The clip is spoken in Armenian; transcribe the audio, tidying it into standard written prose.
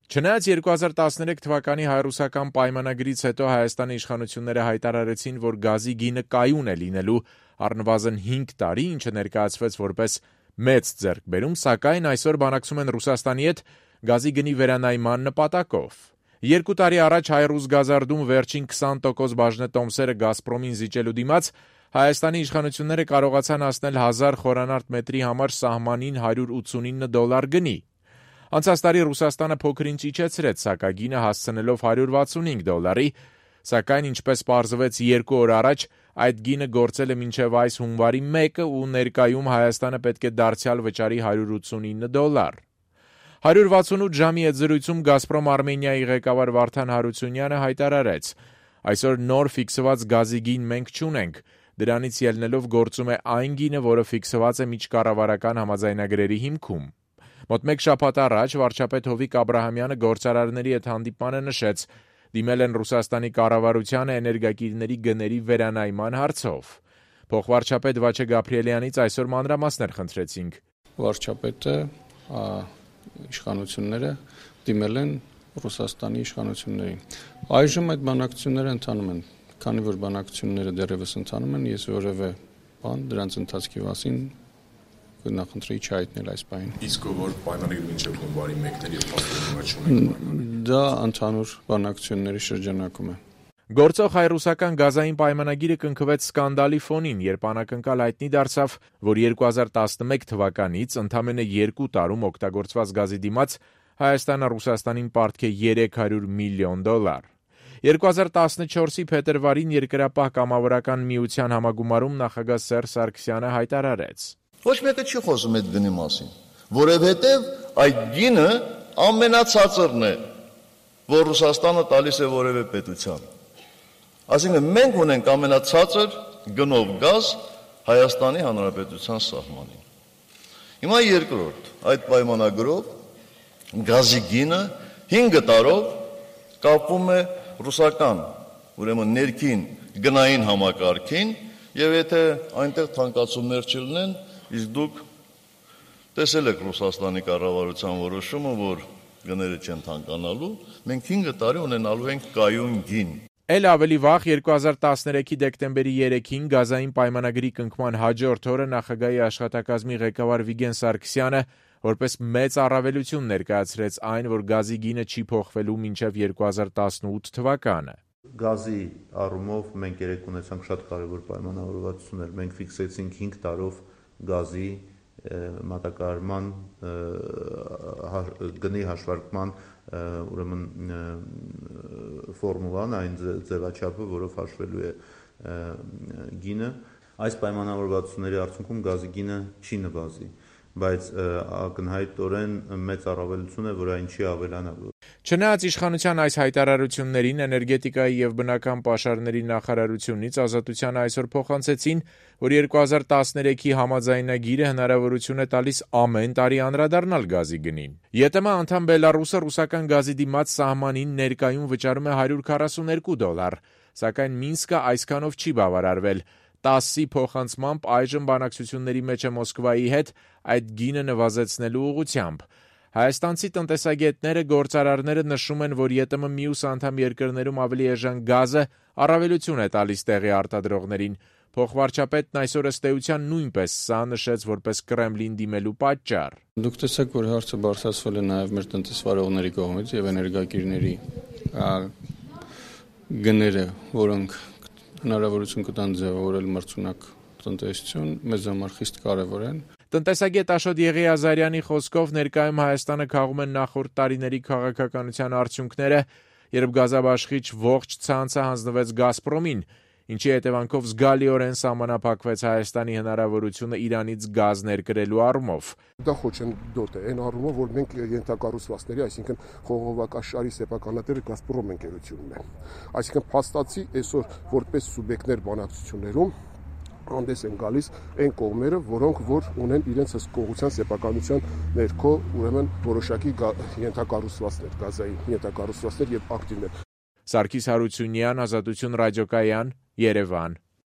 Չնայած 2013 թվականի հայ-ռուսական պայմանագրից հետո Հայաստանի իշխանությունները հայտարարեցին, որ գազի գինը կայուն է լինելու առնվազն 5 տարի, ինչը ներկայացվեց որպես մեծ ձեռքբերում, սակայն այսօր բանակցում են Ռուսաստանի հետ գազի գնի վերանայման նպատակով։ 2 տարի առաջ հայ-ռուս գազարդում վերջին 20% բաժնետոմսերը «Գազպրոմին» զիջելու դիմաց Հայաստանի իշխանությունները կարողացան հասնել 1000 խորանարդ մետրի համար սահմանին $189 գնի։ Անցած տարի Ռուսաստանը փոքր-ինչ իջեցրեց սակագինը հասցնելով $165, սակայն ինչպես պարզվեց 2 օր առաջ, այդ գինը գործել է մինչև այս հունվարի 1-ը ու ներկայում Հայաստանը պետք է դարձյալ վճարի $189։ 168 ժամի հետ զրույցում «Գազպրոմ Արմենիայի» ղեկավար Վարդան Հարությունյանը հայտարարեց. «Այսօր նոր ֆիքսված գազի գին մենք չունենք, դրանից ելնելով գործում է այն գինը, որը ֆիքսված է միջկառավարական համաձայնագրերի հիմքում»։ Մոտ 1 շաբաթ առաջ վարչապետ Հովիկ Աբրահամյանը գործարարների հետ հանդիպմանը նշեց. դիմել են Ռուսաստանի կառավարությանը էներգակիրների գների վերանայման հարցով։ Փոխվարչապետ Վաչե Գաբրիելյանից այսօր մանրամասներ խնդրեցինք։ Վարչապետը իշխանությունները դիմել են Ռուսաստանի իշխանություններին։ Այժմ այդ բանակցությունները ընթանում են, քանի որ բանակցությունները դեռևս ընթանում են, ես որևէ բան դրանց ընթացքի մասին նախընտրեի չհայտնել այս պահին։ Իսկ որ պայմանագրի մինչև հունվարի 1-ն եւ 15-ը չունենք։ Դա ընդհանուր բանակցությունների շրջանակում է։ Գործող հայ-ռուսական գազային պայմանագիրը կնքվեց սկանդալի ֆոնին, երբ անակնկալ հայտնի դարձավ, որ 2011 թվականից ընդամենը 2 տարում օգտագործված գազի դիմաց Հայաստանը Ռուսաստանին պարտք է $300 միլիոն։ 2014-ի փետրվարին Երկրապահ կամավորական միության համագումարում նախագահ Սերժ Սարգսյանը հայտարարեց. Ոչ մեկը չի խոսում այդ գնի մասին, որովհետև այդ գինը ամենացածրն է, որ Ռուսաստանը տալիս է որևէ պետության։ Այսինքն մենք ունենք ամենացածր գնով գազ Հայաստանի Հանրապետության սահմանին։ Հիմա երկրորդ, այդ պայմանագրով գազի գինը 5 տարով կապվում է ռուսական, ուրեմն ներքին գնային համակարգին, եւ եթե այնտեղ թանկացումներ չլինեն, իսկ դուք տեսել եք Ռուսաստանի կառավարության որոշումը, որ գները չեն թանկանալու, մենք 5 տարի ունենալու ենք կայուն գին։ Էլ ավելի վաղ 2013-ի դեկտեմբերի 3-ին գազային պայմանագրի կնքման հաջորդ օրը նախագահի աշխատակազմի ղեկավար Վիգեն Սարգսյանը որպես մեծ առավելություն ներկայացրեց այն, որ գազի գինը չի փոխվելու մինչև 2018 թվականը։ Գազի առումով մենք երեք ունեցանք շատ կարևոր պայմանավորվածություններ, մենք ֆիքսեցինք 5 տարով գազի մատակարարման գնի հաշվարկման ուրեմն ֆորմուլան, այն ձևաչափը, որով հաշվելու է գինը, այս պայմանավորվածությունների արդյունքում գազի գինը չի նվազի, բայց ակնհայտորեն մեծ առավելություն է, որ այն չի ավելանալու։ Չնայած իշխանության այս հայտարարություններին էներգետիկայի եւ բնական պաշարների նախարարությունից Ազատությանը այսօր փոխանցեցին, որ 2013-ի համաձայնագիրը հնարավորություն է տալիս ամեն տարի անդրադառնալ գազի գնին։ ԵՏՄ անդամ Բելարուսը ռուսական գազի դիմաց սահմանին ներկայում վճարում է $142, սակայն Մինսկը այսքանով չի բավարարվել։ ՏԱՍՍ-ի փոխանցմամբ այժմ բանակցությունների մեջ է Մոսկվայի հետ այդ գինը նվազեցնելու ուղղությամբ։ Հայաստանցի տնտեսագետները, գործարարները նշում են, որ ԵՏՄ մյուս անդամ երկրներում ավելի էժան գազը առավելություն է տալիս տեղի արտադրողներին։ Փոխվարչապետն այսօր ըստ էության նույնպես սա նշեց որպես Կրեմլին դիմելու պատճառ։ Դուք տեսեք, որ հարցը բարձրացվել է նաև մեր տնտեսվարողների կողմից եւ էներգակիրների գները, որոնք հնարավորություն կտան ձևավորել մրցունակ տնտեսություն, մեզ համար խիստ կարևոր են։ Տնտեսագետ Աշոտ Եղիազարյանի խոսքով ներկայում Հայաստանը քաղում են նախորդ տարիների քաղաքականության արդյունքները, երբ գազաբաշխիչ ողջ ցանցը հանձնվեց Գազպրոմին, ինչի հետևանքով զգալիորեն սահմանափակվեց Հայաստանի հնարավորությունը Իրանից գազ ներկրելու առումով։ Դա խոչընդոտ է, այն առումով, որ մենք ենթակառուցվածքների, այսինքն խողովակաշարի սեփականատերը Գազպրոմ ընկերությունն է։ Այսինքն փաստացի այսօր որպես սուբյեկտներ բանակցություններում հանդես են գալիս այն կողմերը, որոնք որ ունեն իրենց հսկողության սեփականության ներքո, ուրեմն որոշակի ենթակառուցվածքներ, գազային ենթակառուցվածքներ եւ ակտիվներ։ Սարգիս Հարությունյան, Ազատություն ռադիոկայան, Երևան։